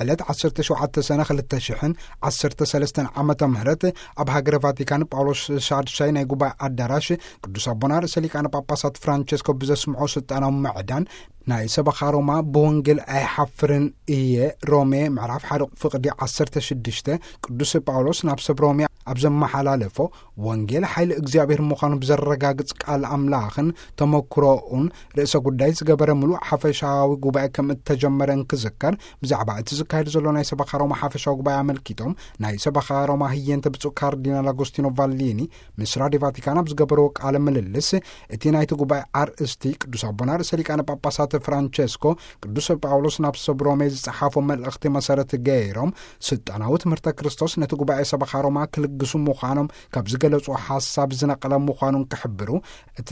ዕለት ዓሰርተ ሸውዓተ ሰነ ክልተ ሽሕን ዓሰርተ ሰለስተን ዓመተ ምህረት ኣብ ሃገረ ቫቲካን ጳውሎስ ሻድሻይ ናይ ጉባኤ ኣዳራሽ ቅዱስ ኣቦና ርእሰ ሊቃነ ጳጳሳት ፍራንቸስኮ ብዘስምዖ ስልጣናዊ ምዕዳን ናይ ሰበኻ ሮማ ብወንጌል ኣይሓፍርን እየ፣ ሮሜ ምዕራፍ ሓደ ፍቕዲ ዓሰርተ ሽዱሽተ፣ ቅዱስ ጳውሎስ ናብ ሰብ ሮሜ ኣብ ዘመሓላለፎ ወንጌል ሓይሊ እግዚኣብሔር ምዃኑ ብዘረጋግጽ ቃል ኣምላኽን ተመክሮኡን ርእሰ ጉዳይ ዝገበረ ምሉእ ሓፈሻዊ ጉባኤ ከም እተጀመረ እንክዝከር፣ ብዛዕባ እቲ ዝካየድ ዘሎ ናይ ሰበኻ ሮማ ሓፈሻዊ ጉባኤ ኣመልኪቶም ናይ ሰበኻ ሮማ ህየንተ ብፁዕ ካርዲናል ኣጎስቲኖ ቫሊኒ ምስ ራድዮ ቫቲካን ኣብ ዝገበርዎ ቃለ ምልልስ፣ እቲ ናይቲ ጉባኤ ኣርእስቲ ቅዱስ ኣቦና ርእሰ ሊቃነ ጳጳሳት ፍራንቸስኮ ቅዱስ ጳውሎስ ናብ ሰብ ሮሜ ዝጸሓፎ መልእኽቲ መሰረት ገይሮም፣ ስልጣናዊ ትምህርተ ክርስቶስ ነቲ ጉባኤ ሰበኻ ሮማ ክልግሱ ምዃኖም ካብ ዝገለጹ ሓሳብ ዝነቐለ ምዃኑን ክሕብሩ፣ እቲ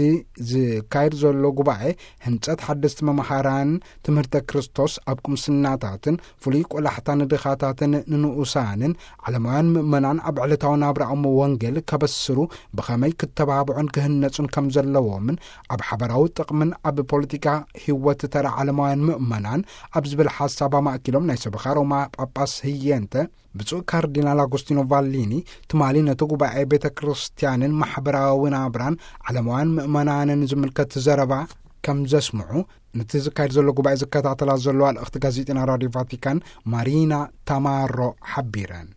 ዝካየድ ዘሎ ጉባኤ ህንጸት ሓደስቲ መምሃራን ትምህርተ ክርስቶስ ኣብ ቁምስናታትን ፍሉይ ቆላሕታ ንድኻታትን ንንኡሳንን ዓለማውያን ምእመናን ኣብ ዕለታዊ ናብራኦም ወንጌል ከበስሩ ብኸመይ ክተባብዑን ክህነጹን ከም ዘለዎምን ኣብ ሓበራዊ ጥቕምን ኣብ ፖለቲካ ህይወት ተራ ዓለማውያን ምእመናን ኣብ ዝብል ሓሳብ ኣማእኪሎም ናይ ሰበኻ ሮማ ጳጳስ ህየንተ ብፁዕ ካርዲናል ኣጎስቲኖ ቫሊኒ ትማሊ ነቲ ጉባኤ ቤተ ክርስቲያንን ማሕበራዊ ናብራን ዓለማውያን ምእመናንን ዝምልከት ዘረባ ከም ዘስምዑ ነቲ ዝካየድ ዘሎ ጉባኤ ዝከታተላ ዘለዋ ልእኽቲ ጋዜጠና ራድዮ ቫቲካን ማሪና ታማሮ ሓቢረን።